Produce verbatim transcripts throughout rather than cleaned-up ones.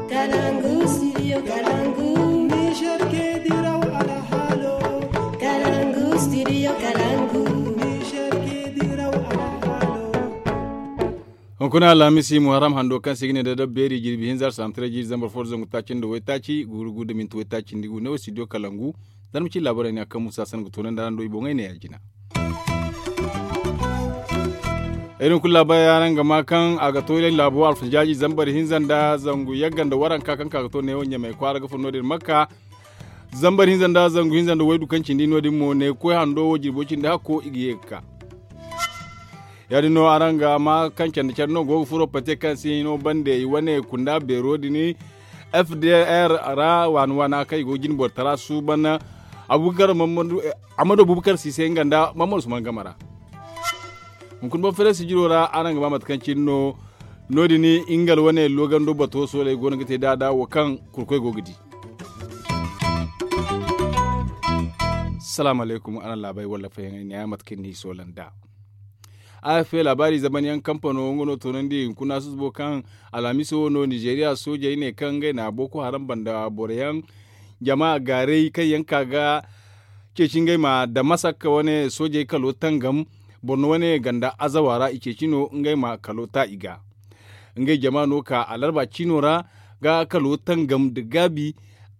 Kalangu studio kalangu. Niger ke diraw alhalo. Kalangu studio kalangu. Niger ke diraw alhalo. Hunkuna alhamisi muharram hando kaŋ se i ga ne da dabbeeri jirbi hinza arsaham taray jiiri zambar fo da zangu taaci nda waytaaci guuru guuru da minti waytaaci nda i gu ne wo studio kalangu. Zarma ci laabaray ne a kaŋ musa san ga toonandi araŋ do i boŋey ne ya jina. Ay din kulu laabaray araŋ ga ma kaŋ a ga to laabo alfajaaji zambar hinza nda zangu yagga nda waranka kaŋ ka ga to neewo ɲamay kwaara ga furo no- din makka. Zambar hinza nda zangu hinza nda waydu kaŋ cindi no- din mo ne koy hando wo jirbo cindi hakko i ga ye ga ka. Ya- din no araŋ ga ma kaŋ candi care no go ga furo pate kaŋ se hino bande i wane kunda beero din. F D R ra waana waana kaŋ i go ga jine boro tara suuban. Amadu bubakar siise nga nda mammadu suman game ra. Hunkuna boŋ feere sijiro ra araŋ ga ba mate kaŋ cine no. No- din ingal wane loogando bato sooley go no ga te daada wo kaŋ kurkoy go ga di. Salaamu alaykum araŋ laabay walla fayaŋey ne ya mate kaŋ ni soola nd'a. A f laabaari zamanyaŋ kampano nga no toonandi hunkuna susubo kaŋ alhamiso wo no nizeeriya soojey ne kaŋ ngey na booko haram banda boro yaŋ jama gaaray kaŋ yaŋ ka ga ceeci ngey ma damasak wane soojey kalo tangam borno wane ganda azawa ra i ceeci no ngey ma kalo ta i ga. Ngey jama no ka alarba ciino ra ga kalo tangam nda gaabi.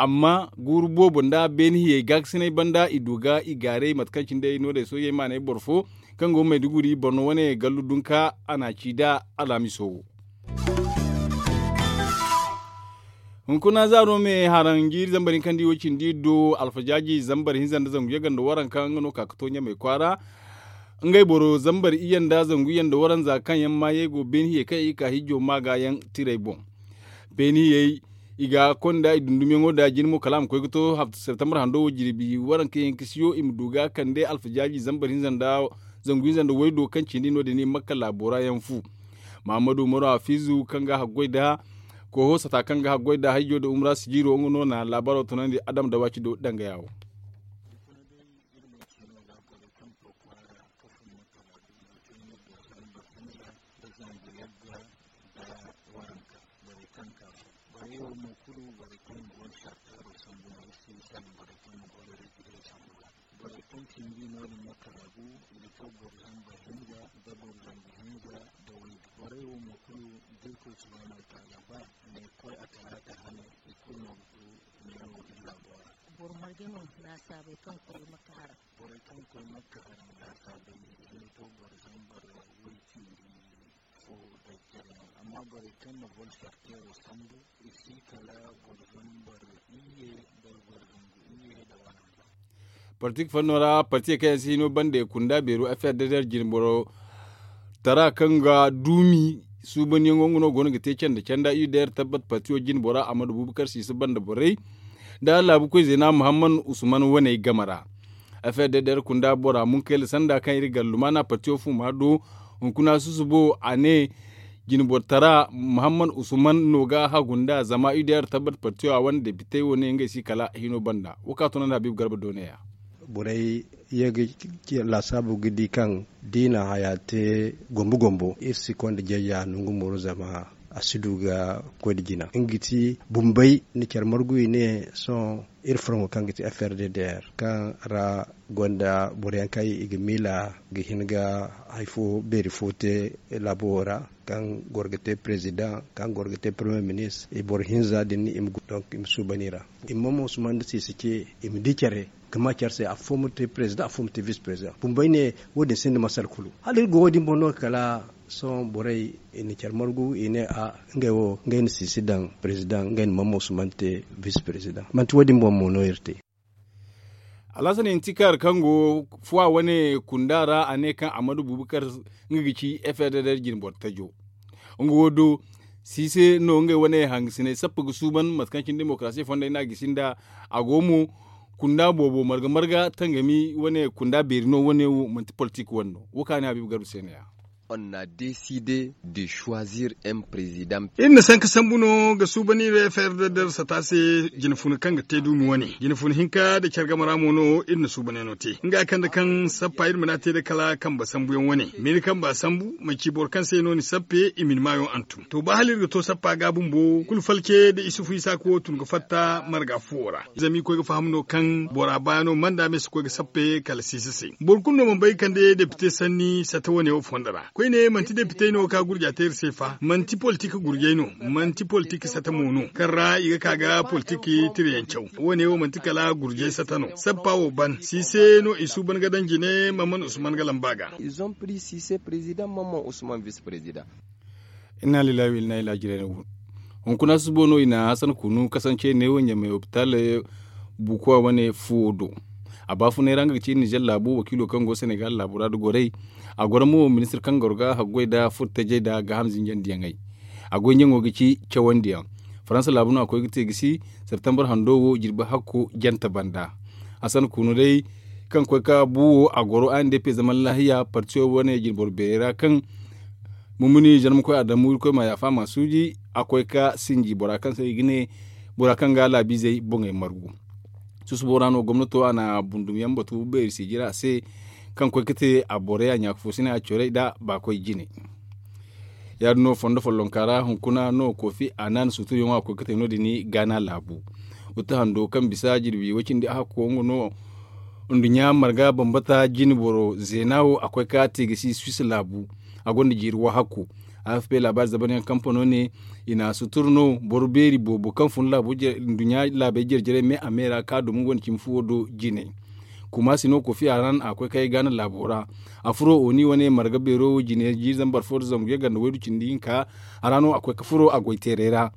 Amma guuru boobo nda beeni hiyey gaakasinay banda i du ga i gaaray mate kaŋ cine day no- din soojey maanay boro fo kaŋ go mayduguri borno wane gallu dunka a na ci nd'a alhamiso wo. Hunkuna zaaro me haraŋ jiiri zambar hinka nda i wo cindi do alfajaaji zambar hinza nda zangu yagga nda waranka nga no ka ga to ɲamay kwaara. Ngey boro zambar iyye nda zangu iyye nda waranza kaŋ yaŋ maayey go beeni hiyey kaŋ i ga ka hijjo maaga yaŋ tirey boŋ. Beeni hiyey i ga konda i dundumyaŋo nda jine mo kala a ma koy ga to septembre hando wo jirbi waranka yaŋ ga siyo i ma du ga kande alfajaaji zambar hinza nda zangu hinza nda waydo kaŋ cindi no- din i makka laabo ra yaŋ fu. Mahammadu umaru hafizu kaŋ ga haggoy nda koho sata kaŋ ga haggoy nda hayjo nda umra sijiro nga no na laabaaro tunandi adam da waaci do danga yaawo. Borey wo mo kulu borey kaŋ go no sartaaro sambu no iri si salaŋ borey kaŋ go no iri sambu ga. Borey kaŋ cindi no- din makka ra gu i ga to boro zambar hinza da boro zangu hinza da waygu borey wo mo kulu da irkoy subhaanahu wataala ba ne koy a talaata hane i kulu no ga to neewo iri laabo ra. Boro marje no laasaabey kaŋ koy makka hara. Borey kaŋ koy makka hara laasaabey i ga to boro zambar way cindi fo da jare no amma borey kaŋ na volsarteero sambu i si kala boro zambar iyye da boro zangu iyye da waranza. Parti ga fanno ra parti kaŋ yaŋ si hino bande kunda beeru f r d d r jinboro tara kaŋ ga duumi suubanyaŋo nga no go no ga te canda canda u d r tabbat parti wo jinbora amadu bubakar siisa banda borey nda laabu koy zeena muhammad usman waney game ra. F r d d r kunda bora munkayla sanda kaŋ iri ga lumaana parti wo fuma do hunkuna susubo a ne jinboro tara muhammad usman no ga hagu nda zama u d r tabbat parti wo a wane depitey wo ne ngey si kala hino banda wo ka tunandi habiibu garba doone ya. Borey ye ga laasaabu ga di kaŋ da i na haya te gombo gombo iri si konda jeeja nangu moro zama a si du ga koy nda jina nga ga ti bumbey nda care margu i ne sohõ iri furŋo kaŋ ga ti f r d d r kaŋ ra gonda boro yaŋ kaŋ i ga miila ga hin ga hari fo beeri fo te laabo wo ra kaŋ goro ga te perezidaŋ kaŋ goro ga te peremiyer ministre i boro hinza din i ma suuban i ra. I ma mo suma nda siisa ce i ma di care ga ma care se afo ma te perezidaŋ afo ma te vis perezidaŋ bumbey ne wo- din sinda masal kulu hala iri go wo- din boŋ no kala sohõ borey i na care margu i ne a ngey wo ngey na siisi daŋ perezidaŋ ngey na mammo sumante vis perezidaŋ manti wo- din boŋ mo no iri te. Alhasan intikar kaŋ go fuwa wane kunda ra a ne kaŋ amadu bubakar nga ga ci f r d r jinboro tajo nga wo do siise no ngey wane hangasiney sappa ga suuban mate kaŋ cine demokarasi fondey no a gisi nda a go mo kunda boobo marga marga tangami wane kunda beeri no wane wo manti politik wane no wo kaŋ a ne habiibu garba se no- ya. On na décidé de choisir un président. Iri na sanka sambu no ga suuban iri f r d d sata se. Jinfuna kaŋ ga te duumi wane, jinfuna hinka nda care game ra mo no iri na suubanyaŋo te nga kande kaŋ sappa iri mana te day kala kamba sambuyaŋ wane. Ma iri kamba sambu manci boro kaŋ se no ni sappe i ma ni maayo hantum to ba hala iri ga to sappa ga bumbo kulu falce nda isufu isaaka wo tun ga fatta marga fuwo ra. Zama i koy ga faham no kaŋ bora baayano manda me si koy ga sappe kala siisa se. Boro kulu no mana bay ga kande depite sanni sata wane wo fondo ra koyne manti depitey no ka gurja te iri se fa manti politik gurjey no, manti politik sata mo no kaŋ ra i ga ka ga politik tirayaŋ caw. Wane wo manti kala gurjey sata no sappa wo ban si se no i suuban ga daŋ jine mamman usman ga lamba ga. Ils ont pris si se président mamman usman vice président. Inna lillahi wa inna ilaihi raji'un. Hunkuna subo no i na hasan kunu kasance ne wo ɲamay hopital bukuwa wane fuwo do. A baafunay ra nga ga ci nizer laabu wakiilo kaŋ go senegal laabu ra da goray. A goro mo ministir kaŋ goro ga haggoy nda furtajey nda gaaham zinjandiyaŋey. A goy ɲaŋo ga ci cawandiyaŋ. Faransa laabu no a koy ga te gisi septembar hando wo jirbi hakko jante banda. Hasan kunu day kaŋ koy ka bu wo a goro a n d p zaman lahiya partiyo wane jirbi boro beerey ra kaŋ mumuni zarmakoy adamu irkoy ma yaafa ma suuji. A koy ka sinji bora kaŋ se i ga ne bora kaŋ ga laabiizey boŋey margu. Susubo ra no gomnato a na bundumyaŋ batu beeri sijira se kaŋ koy ga te a borey a ɲaaka fo si ne a corey nda baakoy jine. Ya- din no fondo follonka ra hunkuna no kofi a na ni suuturyaŋo a koy ga te no- din gaana laabu. Wata hando kaŋ bisa jirbi way cindi a hakko nga no. Nduɲɲa marga bambata jine boro zeena wo a koy ka te ga si swiss laabu. A gonda jiiri wahakku. A f p laabaari zabanyaŋ kampano ne i na sutur no boro beeri boobo kaŋ fun laabo nduɲɲa laabey jare-jarey me a me ra ka dumo gonda cimi fuwo do jine. Kuma si no kofi a ra no a koy ka ay gaana laabo ra. A furo oni wane marga beero jine jiiri zambar fo da zangu yaganda waydu cindi hinka. A ra no a koy ka furo a goy teeray ra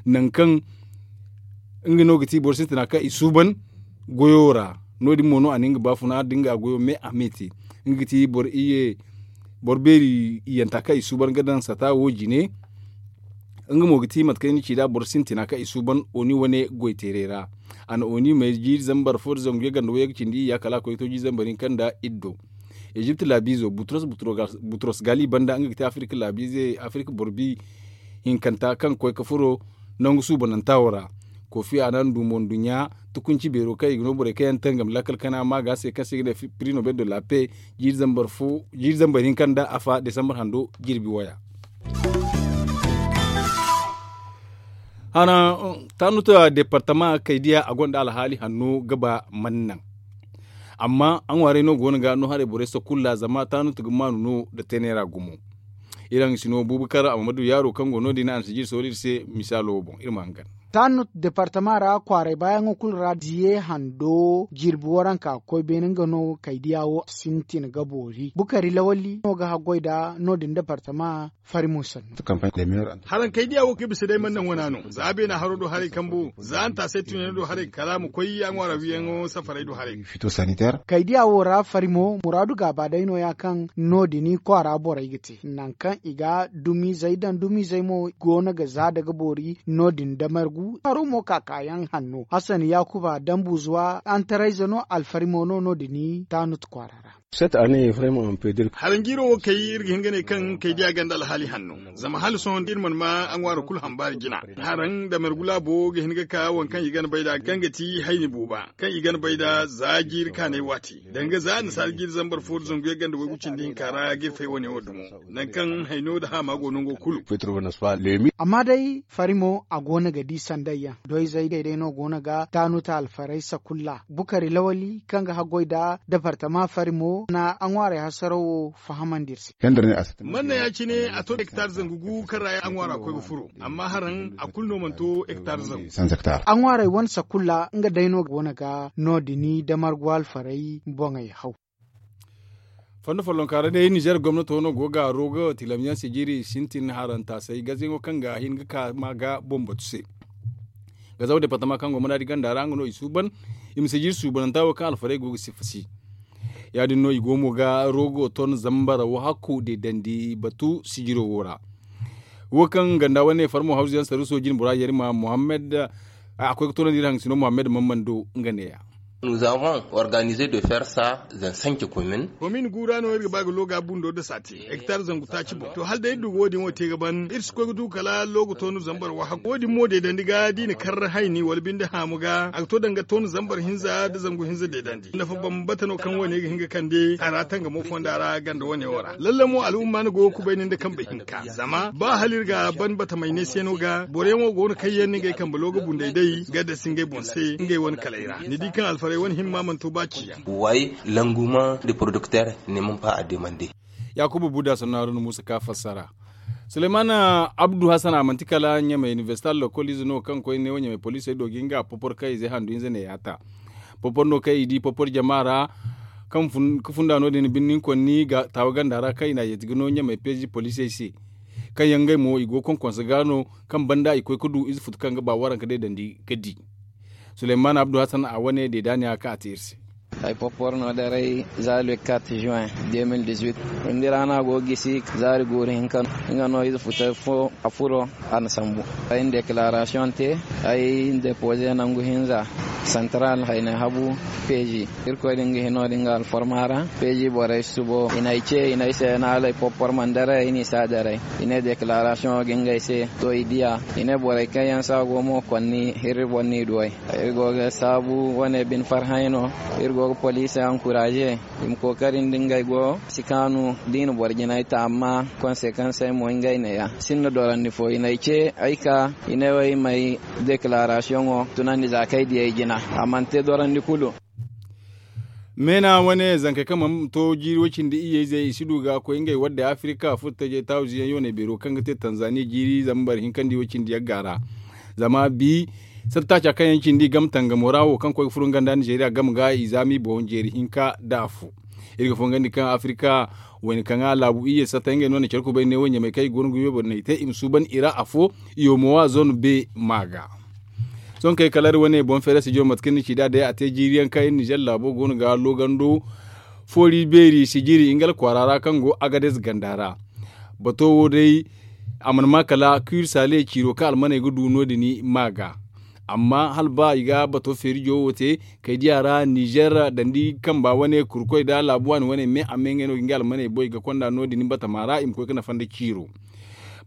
nangu kaŋ nga no ga ti boro sintina kaŋ i suuban goyo ra. No- din mo no a na nga baafuna da nga goyo me a me te. Nga ga ti boro iye boro beeri iyanta kaŋ i suuban ga daŋ sata wo jine. Nga mo ga ti mate kaŋ ni ci nd'a boro sintina kaŋ i suuban oni wane goy teeray ra. A na oni may jiiri zambar fo da zangu yaganda wayaga cindi iyya kala a koy ga to jiiri zambar hinka nda iddo. Ezipt laabiizo butros butros gaali banda nga ga te afirika laabiize afirika boro bi hinkanta kaŋ ga koy ga furo nangu suubananta wo ra. Kofi a na ndumo nduɲɲa tukunci beero kaŋ i ga no borey kaŋ yaŋ tangam lakkal kana ma ga se kaŋ se i ga ne prix nobel de la paix. Jiiri zambar hinka nda afa desambar hando jirbi waya. Hana tanut departama kaydiya a gonda alhaali hanno ga ba man naŋ. Amma a ŋwaaray no go no ga no haray borey sakulla zama tanut ga maanu no nda teeneera gumo. Iri haŋ si no bubakar amadu yaaro kaŋ go no- din a na si jiiri sohõ iri se misaalo wo boŋ iri ma hangan. Tanut departama ra kwaaray baayaŋo kulu ra diye hando jirbi waranka ga koy beene nga no kaydiya wo sintin ga boori bukari lawali no ga haggoy nda no- din departama. Fari mo sannu. Haraŋ kaydiya wo kaŋ i bisa day mana naŋ wana no za beena haro do haray kambo za hantaasay tunyaŋo do haray kala a ma koy a ŋwaara wiyaŋo safaray do haray. Kaydiya wo ra fari mo muraadu gaaba day no- ya kaŋ no- din kwaara borey ga te nangu kaŋ i ga dumiizey daŋ dumiizey mo go no ga za daga boori no- din da margu haro mo kaakaayaŋ hanno hasan yaakuba dambuuzuwa antarayze no alfari mo no no- din taanut kwaara ra. Haranjiiro wo kay iri ga hin ga ne kaŋ kay diya ganda alhaali hanno zama hala sohõ da iri mana ma a ŋwaaro kulu hambaari jina. Haraŋ da margu laabo ga hin ga ka waŋ kaŋ i gana bay nd'a kaŋ ga ti hayni buuba kaŋ i gana bay nd'a za jiiri kaanay waati danga za annasaara jiiri zambar fo da zangu yaŋ ganda waygu cindi hinka ra ga iri fay wane wo dumo. Nangu kaŋ hayno nda haama go nango kulu. Amma day fari mo a go no ga di sanday yaŋ doyzey day day no go no ga taanuta alfaray sakulla bukari lawali kaŋ ga haggoy nda departama fari mo na a ŋwaaray hasaraw wo fahamandi iri se. Manna ya- cine a to hektar zangu gu kaŋ ra a ŋwaara koy ga furo amma haraŋ a kulu no mana to hektar zangu. A ŋwaaray wane sakulla nga day no go no ga no- din da margu alfaray boŋey haw. Fondo follonka ra day nizer gomnato no go ga rogo tilamyaŋ sijiri sintin harantaasay gazayaŋo kaŋ ga hin ga ka ma ga boŋ batu se. Gazaw departama kaŋ go manaadi ganda ra nga no i suuban i ma sijiri suubananta wo kaŋ alfarey go ga sifasi. Ya- din no i go mo ga rogo ton zambara wo hakku deedandi batu sijiro wo ra. Wo kaŋ ganda wane farmo hawzu yaŋ saruso jine bora yarima muhammad a koy ga toonandi iri haŋ sino muhammad mammando nga neeya. Nous avons organisé de faire ça dans cinq communes. Komin guura no iri ga ba ga looga bundo da saati hektar zangu taaci boŋ to hala day iri du ga wo- din wo te ga ban iri si koy ga du kala looga toonu zambar wahakku wo- din mo deedandi ga da i na kar hayni wala binde haamu ga a ga to danga toonu zambar hinza da zangu hinza deedandi nafa bambata no kaŋ wo- ne ga hin ga kande a ra tangamo fonda ra ganda wo- ne wo ra lalle mo al'umma ni go ga kubay ni nda kambe hinka zama ba hala iri ga ban batamay ne se no ga boro yaŋ wo go no kaŋ yaŋ no ngey kambe looga bunday day ga dasi ngey boŋ se ngey wane kalay ra ni di kaŋ alfaray wane himma mana to ba ciyaŋ. Way languman de producteur ne man ba a demande. Yaakuba buda sannu haruna muusa ka fassara. Suleymana abdu hasan a manti kala ɲamey inibersita lokol ize no kaŋ koy ne wo ɲamey poliisey do ga nga popor kaŋ i ze handu hinza ne yaata. Popor no kaŋ i di popor jama ra kaŋ ga funda no- din birni konni taawa ganda ra kaŋ i na a yeeti ga no ɲamey peezi poliisey se. Kaŋ yaŋ ngey mo i go ga konkonse ga no kaŋ banda i koy ga du ize futu kaŋ ga ba waranka deedandi ga di. Suleymana abdu hasan a wane deedaaniya kaŋ a te iri se. Ay popor no daray za le quatre juin deux mille dix-huit. Windi ra no a go ga gisi zaari guuru hinka no nga no ize futay fo a furo a na sambu. Ay na deklaarasiyoŋ te ay na depoze nangu hinza santral hayne habu peeji. Irkoy din ga hino din ga alforma ra peeji borey subo i na ay ce i na ay se na hala ay popor mana daray ay n'i si a daray. I ne deklaarasiyoŋo ga ngey se to i diya. I ne borey kaŋ yaŋ se a go mo konni hirri boro n'i duw'ey. Iri go ga saabu wane bine farhãy no. Iri go ga poliisey ankuraaze i ma kookari nda ngey go si kaanu da i na boro jinay ta amma konsekansey mo ngey neeya. Sinda dorandi fo i n'ay ce ay ka i ne wo ay m'ay deklaarasiyoŋo tunandi za kaŋ ay di ay jina. A mana te dorandi kulu. Meena wane zankey kaŋ mana to jiiri way-cindi iyye-izey i si du ga koy ngey waddey afirika furtajey taawize yaŋ yooney beero kaŋ ga te tanzaniya jiiri zambar hinka nda way-cindi yagga ra. Zama bi satta taaca kaŋ yaŋ cindi game tangamo ra wo kaŋ koy ga furo nga nda nizeriya game ga i zaami boŋ jeeri hinka nda afo. Iri ga fongandi kaŋ afirika wayna kaŋ a laabu iyye satta ngey no na care kubay ne wo ɲamey kaŋ i go no ga yooboney te i ma suuban i ra afo. Iyo moowa zone be ma ga. Sohõ kay kala iri wane boŋ feere sijo mate kaŋ ni ci nd'a day a te jiiri yaŋ kaŋ iri nizer laabo go no ga loogando foori beeri sijiri ngal kwaara ra kaŋ go agadez ganda ra. Bato wo day a mana ma kala kuri saale ciiro kaŋ almaney ga du no- din ma ga. Amma hala ba i ga bato feerijo wo te kay diya ra nizer dandi kamba wane kurkoy nda laabu waani wane me amma ngey no ga nga almaney boy ga konda no- din batama ra i ma koy ga nafa nda ciiro.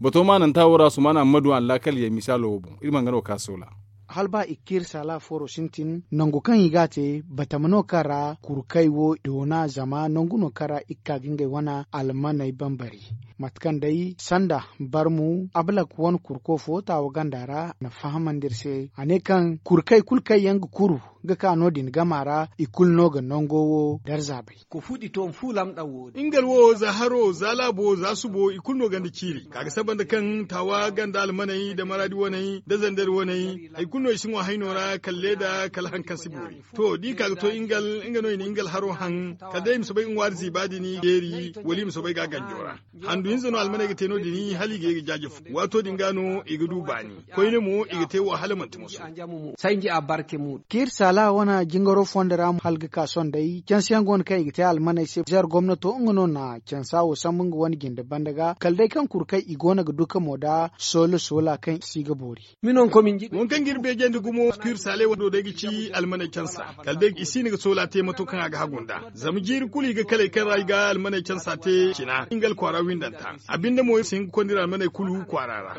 Bato maananta wo ra sumaana hammadu allaakal ye misaalo wo boŋ iri ma nga no ka soola. Hala ba i ga kiiri saala fooro sintin nangu kaŋ i ga a te batama no kaŋ ra kurkey wo doona zama nangu no kaŋ ra i ga ka ga ngey wane almaney bambari. Mate kaŋ day sanda barmu ablak wane kurko fo taawa ganda ra a na fahamandi iri se a ne kaŋ kurkey kulu kaŋ yaŋ ga kuru ga ka no- din gama ra i kulu no ga nango wo darza bay. Ngal wo za haro za laabo za subo i kulu no ganda ciiri ka ga saba nda kaŋ taawa ganda almaney nda maraadi waney nda zandari waney hari kulu no i si ŋwa hayno ra kala leeda kala hari kaŋ si boori. To da i ka ga to ngal nga no i na ngal haro haŋ kala day i ma soobay ga ŋwaari ziiba din beeri wala i ma soobay ga a ganjo ra. Handu hinza no almaney ga te no- din hala i ga ye ga jaaje fu waato din ga no i ga du baani. Koyne mo i ga te wo hala manti moso. Kaŋ iri saala wane jingaro fondo ra mo hala ga ka sohõ day canse yaŋ go no kaŋ i ga te almaney se zer gomnato nga no na cansa wo sambu nga wane jinde banda ga kala day kaŋ kuru kaŋ i go no ga du kamo nda soola soola kaŋ si ga boori. Waŋ kaŋ ga iri beejandi gumo kuri saaley wando day ga ci almaney cansa kala day i si no ga soola te mato kaŋ a ga hagu nd'a. Zama jiiri kulu i ga kaley kaŋ ra i ga almaney cansa te cina nga alkwaara windanta. A binde mo iri si hin ga konda iri almaney kulu kwaara ra.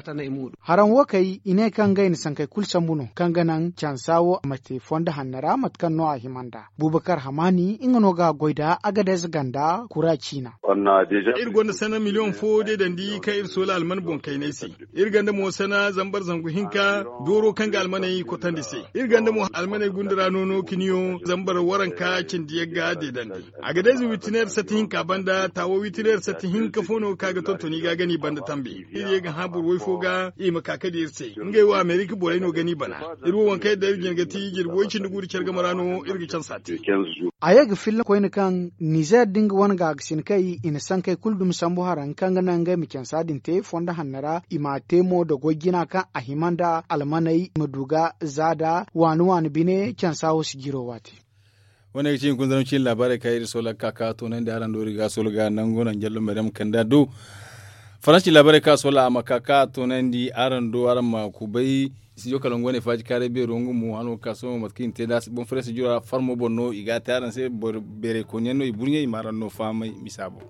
Haraŋ wo kay i ne kaŋ ngey na sankey kulu sambu no kaŋ ga naŋ cansa wo a ma te fondo hanno ra mate kaŋ no a hima nd'a. Bubakar hamaani nga no ga a goy nda agadez ganda kura ciina. Iri gonda sana miliyoŋ fo deedandi kaŋ iri soola alman boŋ kayney se. Iri gonda mo sana zambar zangu hinka dooro kaŋ ga almaney kotandi se. Iri gonda mo almaney gunda ra noono kiniyo zambar waranka cindi yagga deedandi. Agadez witineer sati hinka banda taawo witineer sati hinka fo no ga ka ga tontoni ga gani banda tambe. Iri ye ga hã boro way fo ga i ma ka ka di iri se ngey wo amerika borey no gani bana. Iri wo waŋ kaŋ iri da iri jina ga ti jirbi way cindi guuru care game ra no iri ga cansa te. A ye ga filla koyne kaŋ nizer da nga wane gaagasin kay i na sankey kulu dumi sambu haraŋ kaŋ ga naŋ ngey ma cansa din te fondo hanno ra i m'a te mo da goy jina kaŋ a hima nda almaney i ma du ga za nda waani waani bine cansa wo si jiro waati. Wane ga ci hunkuna zarma ciine laabaarey kaŋ iri soola ga ka ka toonandi araŋ do iri ga soola ga nangu naŋ jallo maryam kanda du. Faransi laabarey kaŋ a soola a ma ka ka a toonandi araŋ do araŋ ma kubay. Studio kalangu wane faaji kaaray beero nga mo hano ga ka sohõ mate kaŋ i na te nd'a boŋ faransi jura farmo boŋ no i ga a te araŋ se. Beeray kooni yaŋ no i burɲey i ma araŋ no fahamay misa boŋ.